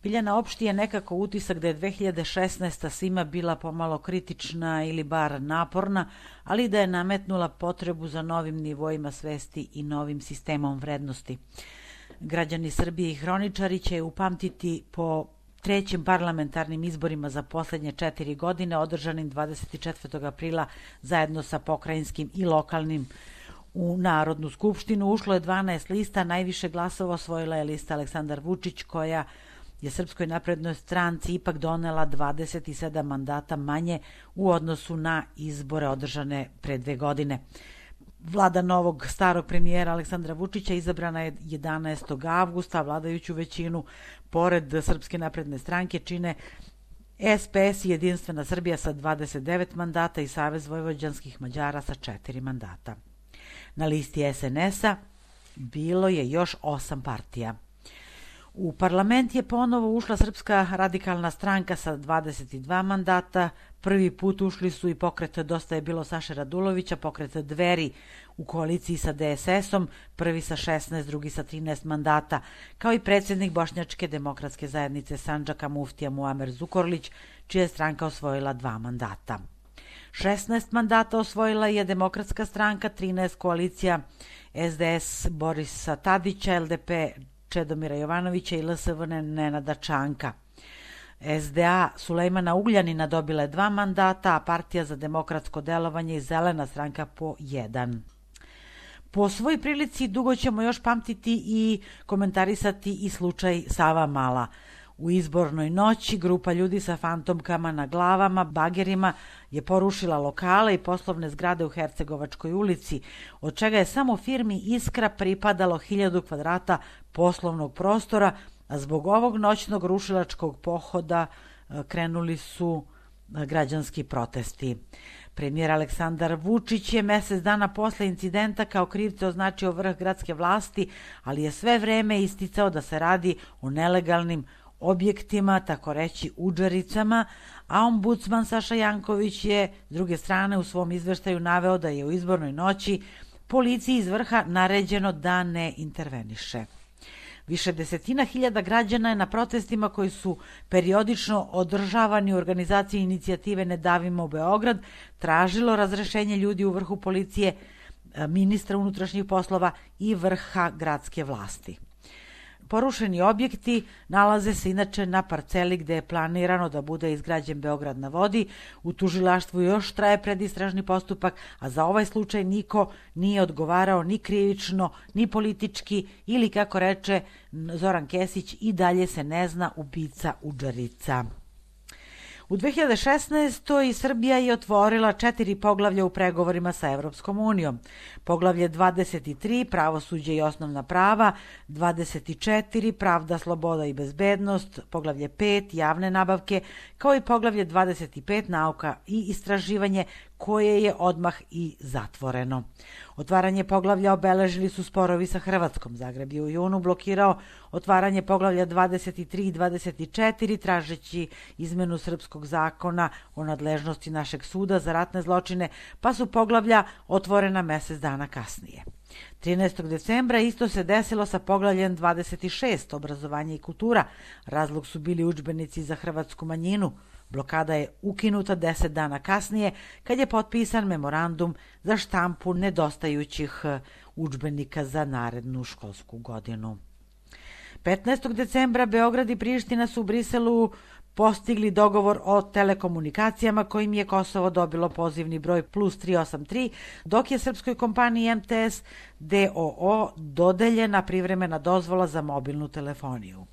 Biljana, opšti je nekako utisak da je 2016. svima bila pomalo kritična ili bar naporna, ali da je nametnula potrebu za novim nivoima svesti i novim sistemom vrednosti. Građani Srbije i hroničari će je upamtiti po trećim parlamentarnim izborima za poslednje 4 godine, održanim 24. aprila zajedno sa pokrajinskim i lokalnim. U Narodnu skupštinu ušlo je 12 lista, najviše glasova osvojila je lista Aleksandar Vučić, koja je Srpskoj naprednoj stranci ipak donela 27 mandata manje u odnosu na izbore održane pre 2 godine. Vlada novog starog premijera Aleksandra Vučića izabrana je 11. avgusta, vladajuću većinu pored Srpske napredne stranke čine SPS i Jedinstvena Srbija sa 29 mandata i Savez vojvođanskih Mađara sa 4 mandata. Na listi SNS-a bilo je još 8 partija. U parlament je ponovo ušla Srpska radikalna stranka sa 22 mandata. Prvi put ušli su i pokret Dosta je bilo Saše Radulovića, pokret Dveri u koaliciji sa DSS-om, prvi sa 16, drugi sa 13 mandata, kao i predsjednik Bošnjačke demokratske zajednice Sandžaka Muftija Muamer Zukorlić, čija je stranka osvojila 2 mandata. 16 mandata osvojila je Demokratska stranka, 13 koalicija SDS Borisa Tadića, LDP Čedomira Jovanovića i LSV Nenada Čanka. SDA Sulejmana Ugljanina dobila je 2 mandata, a Partija za demokratsko delovanje i Zelena stranka po 1. Po svoj prilici dugo ćemo još pamtiti i komentarisati i slučaj Savamala. U izbornoj noći grupa ljudi sa fantomkama na glavama, bagerima je porušila lokale i poslovne zgrade u Hercegovačkoj ulici, od čega je samo firmi Iskra pripadalo 1000 kvadrata poslovnog prostora, a zbog ovog noćnog rušilačkog pohoda krenuli su građanski protesti. Premijer Aleksandar Vučić je mesec dana posle incidenta kao krivce označio vrh gradske vlasti, ali je sve vreme isticao da se radi o nelegalnim objektima, tako reći udžericama, a ombudsman Saša Janković je s druge strane u svom izveštaju naveo da je u izbornoj noći policiji iz vrha naređeno da ne interveniše. Više desetina hiljada građana je na protestima koji su periodično održavani u organizaciji inicijative Ne davimo Beograd tražilo razrešenje ljudi u vrhu policije, ministra unutrašnjih poslova i vrha gradske vlasti. Porušeni objekti nalaze se inače na parceli gde je planirano da bude izgrađen Beograd na vodi. U tužilaštvu još traje predistražni postupak, a za ovaj slučaj niko nije odgovarao ni krivično, ni politički ili, kako reče Zoran Kesić, i dalje se ne zna ubica udžerica. U 2016. Srbija je otvorila 4 poglavlja u pregovorima sa Evropskom unijom. Poglavlje 23, pravosuđe i osnovna prava, 24, pravda, sloboda i bezbednost, poglavlje 5, javne nabavke, kao i poglavlje 25, nauka i istraživanje, koje je odmah i zatvoreno. Otvaranje poglavlja obeležili su sporovi sa Hrvatskom. Zagreb je u junu blokirao otvaranje poglavlja 23 i 24, tražeći izmenu srpskog zakona o nadležnosti našeg suda za ratne zločine, pa su poglavlja otvorena mesec dana kasnije. 13. decembra isto se desilo sa poglavljem 26, obrazovanje i kultura. Razlog su bili udžbenici za hrvatsku manjinu. Blokada je ukinuta 10 dana kasnije, kad je potpisan memorandum za štampu nedostajućih udžbenika za narednu školsku godinu. 15. decembra Beograd i Priština su u Briselu postigli dogovor o telekomunikacijama kojim je Kosovo dobilo pozivni broj +383, dok je srpskoj kompaniji MTS DOO dodeljena privremena dozvola za mobilnu telefoniju.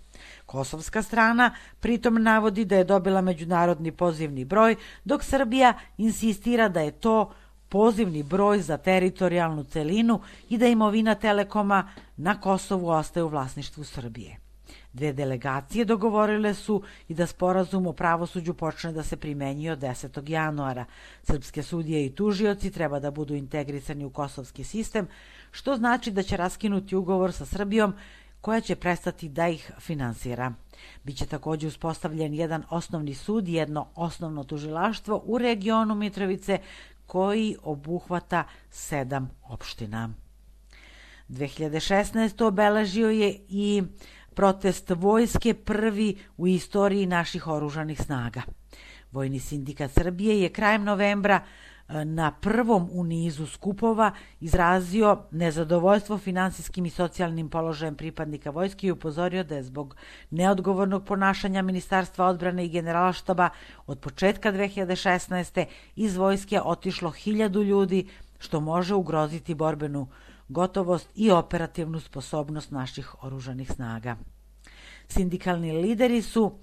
Kosovska strana pritom navodi da je dobila međunarodni pozivni broj, dok Srbija insistira da je to pozivni broj za teritorijalnu celinu i da imovina Telekoma na Kosovu ostaje u vlasništvu Srbije. 2 delegacije dogovorile su i da sporazum o pravosuđu počne da se primenjuje od 10. januara. Srpske sudije i tužioci treba da budu integrisani u kosovski sistem, što znači da će raskinuti ugovor sa Srbijom, koja će prestati da ih finansira. Biće takođe uspostavljen jedan osnovni sud i jedno osnovno tužilaštvo u regionu Mitrovice, koji obuhvata 7 opština. 2016. obeležio je i protest vojske prvi u istoriji naših oružanih snaga. Vojni sindikat Srbije je krajem novembra na prvom u nizu skupova izrazio nezadovoljstvo finansijskim i socijalnim položajem pripadnika vojske i upozorio da je zbog neodgovornog ponašanja Ministarstva odbrane i Generalštaba od početka 2016. iz vojske otišlo 1000 ljudi, što može ugroziti borbenu gotovost i operativnu sposobnost naših oružanih snaga. Sindikalni lideri su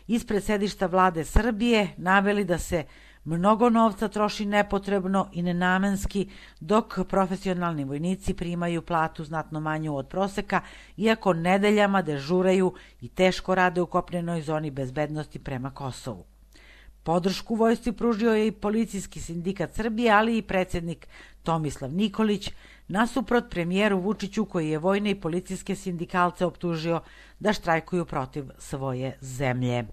ispred sedišta vlade Srbije naveli da se mnogo novca troši nepotrebno i nenamenski, dok profesionalni vojnici primaju platu znatno manju od proseka, iako nedeljama dežuraju i teško rade u kopnenoj zoni bezbednosti prema Kosovu. Podršku vojsci pružio je i Policijski sindikat Srbije, ali i predsjednik Tomislav Nikolić, nasuprot premijeru Vučiću, koji je vojne i policijske sindikalce optužio da štrajkuju protiv svoje zemlje.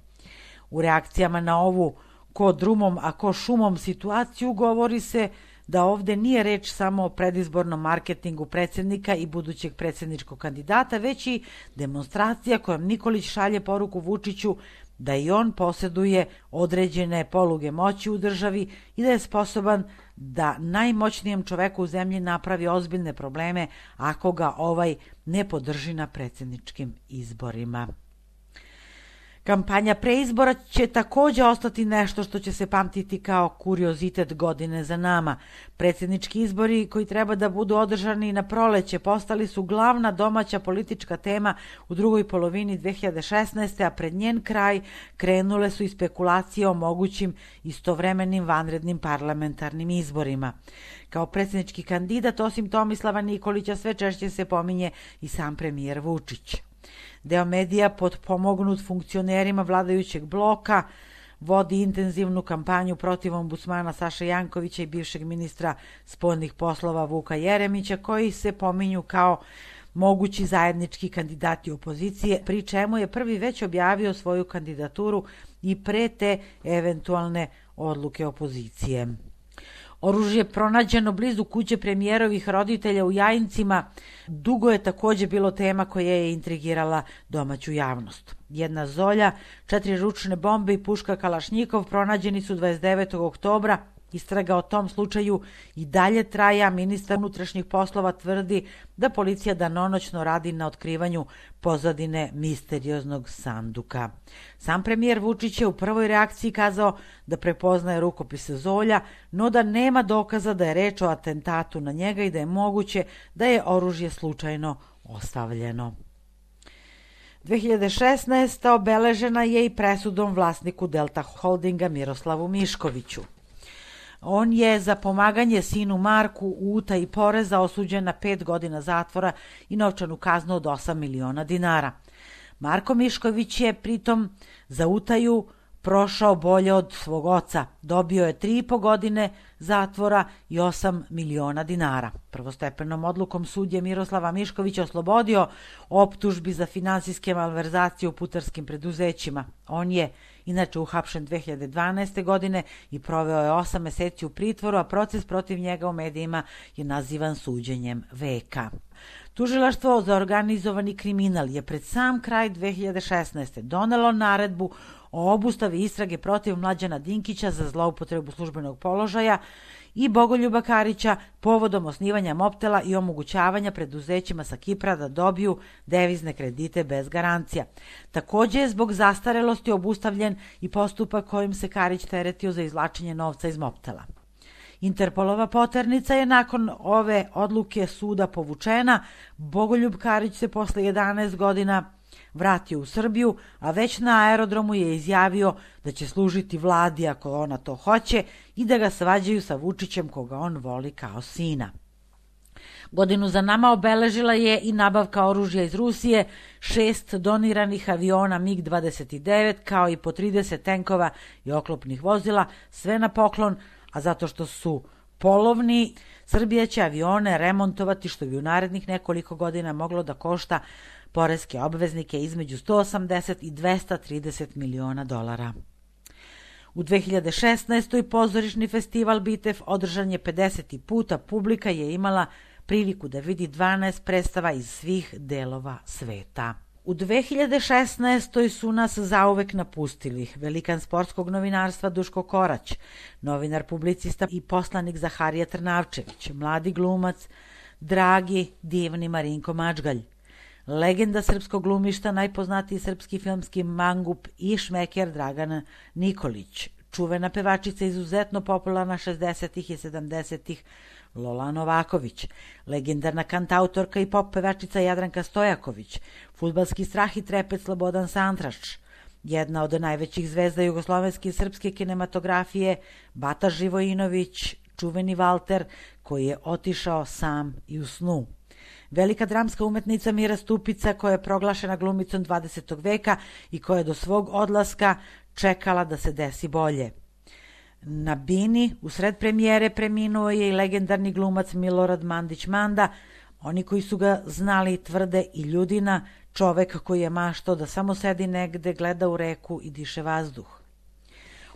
U reakcijama na ovu ko drumom, a ko šumom situaciju govori se da ovde nije reč samo o predizbornom marketingu predsjednika i budućeg predsjedničkog kandidata, već i demonstracija kojom Nikolić šalje poruku Vučiću da i on posjeduje određene poluge moći u državi i da je sposoban da najmoćnijem čoveku u zemlji napravi ozbiljne probleme ako ga ovaj ne podrži na predsjedničkim izborima. Kampanja preizbora će također ostati nešto što će se pamtiti kao kuriozitet godine za nama. Predsjednički izbori koji treba da budu održani na proleće postali su glavna domaća politička tema u drugoj polovini 2016. a pred njen kraj krenule su i spekulacije o mogućim istovremenim vanrednim parlamentarnim izborima. Kao predsjednički kandidat, osim Tomislava Nikolića, sve češće se pominje i sam premijer Vučić. Deo medija potpomognut funkcionerima vladajućeg bloka vodi intenzivnu kampanju protiv ombudsmana Saše Jankovića i bivšeg ministra spoljnih poslova Vuka Jeremića, koji se pominju kao mogući zajednički kandidati opozicije, pri čemu je prvi već objavio svoju kandidaturu i pre te eventualne odluke opozicije. Oružje pronađeno blizu kuće premijerovih roditelja u Jajincima dugo je također bilo tema koja je intrigirala domaću javnost. Jedna zolja, 4 ručne bombe i puška Kalašnjikov pronađeni su 29. oktobra. Istraga o tom slučaju i dalje traje, a ministar unutrašnjih poslova tvrdi da policija danonoćno radi na otkrivanju pozadine misterioznog sanduka. Sam premijer Vučić je u prvoj reakciji kazao da prepoznaje rukopise zolja, no da nema dokaza da je reč o atentatu na njega i da je moguće da je oružje slučajno ostavljeno. 2016. obeležena je i presudom vlasniku Delta Holdinga Miroslavu Miškoviću. On je za pomaganje sinu Marku u utaji poreza osuđen na 5 godina zatvora i novčanu kaznu od 8 miliona dinara. Marko Mišković je pritom za utaju prošao bolje od svog oca. Dobio je 3,5 godine zatvora i 8 miliona dinara. Prvostepenom odlukom sud je Miroslava Miškovića oslobodio optužbi za finansijske malverzacije u putarskim preduzećima. On je inače uhapšen 2012. godine i proveo je 8 meseci u pritvoru, a proces protiv njega u medijima je nazivan suđenjem veka. Tužilaštvo za organizovani kriminal je pred sam kraj 2016. donelo naredbu o obustavi istrage protiv Mlađana Dinkića za zloupotrebu službenog položaja i Bogoljuba Karića povodom osnivanja Mobtela i omogućavanja preduzećima sa Kipra da dobiju devizne kredite bez garancija. Također je zbog zastarelosti obustavljen i postupak kojim se Karić teretio za izvlačenje novca iz Mobtela. Interpolova poternica je nakon ove odluke suda povučena. Bogoljub Karić se posle 11 godina vratio u Srbiju, a već na aerodromu je izjavio da će služiti vladi ako ona to hoće i da ga svađaju sa Vučićem koga on voli kao sina. Godinu za nama obeležila je i nabavka oružja iz Rusije, 6 doniranih aviona MiG-29 kao i po 30 tenkova i oklopnih vozila, sve na poklon, a zato što su polovni, Srbija će avione remontovati što bi u narednih nekoliko godina moglo da košta poreske obveznike između 180 i 230 miliona dolara. U 2016. pozorišni festival Bitev održan je 50. puta, publika je imala priliku da vidi 12 predstava iz svih delova sveta. U 2016. su nas zauvek napustili velikan sportskog novinarstva Duško Korać, novinar, publicista i poslanik Zaharije Trnavčević, mladi glumac, dragi, divni Marinko Mačgalj, legenda srpskog glumišta, najpoznatiji srpski filmski mangup i šmeker Dragan Nikolić, čuvena pevačica izuzetno popularna 60. i 70. Lola Novaković, legendarna kantautorka i pop pevačica Jadranka Stojaković, fudbalski strah i trepet Slobodan Santrač, jedna od najvećih zvezda jugoslovenske i srpske kinematografije Bata Živojinović, čuveni Valter koji je otišao sam i u snu. Velika dramska umetnica Mira Stupica koja je proglašena glumicom 20. veka i koja je do svog odlaska čekala da se desi bolje. Na bini, usred premijere, preminuo je i legendarni glumac Milorad Mandić Manda. Oni koji su ga znali tvrde i ljudina, čovek koji je maštao da samo sedi negde, gleda u reku i diše vazduh.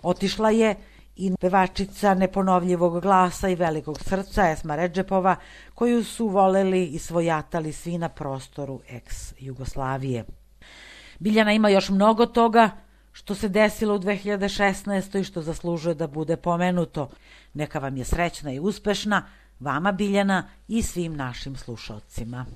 Otišla je i pevačica neponovljivog glasa i velikog srca Esma Redžepova, koju su voleli i svojatali svi na prostoru ex-Jugoslavije. Biljana ima još mnogo toga što se desilo u 2016. i što zaslužuje da bude pomenuto. Neka vam je srećna i uspešna, vama Biljana i svim našim slušaocima.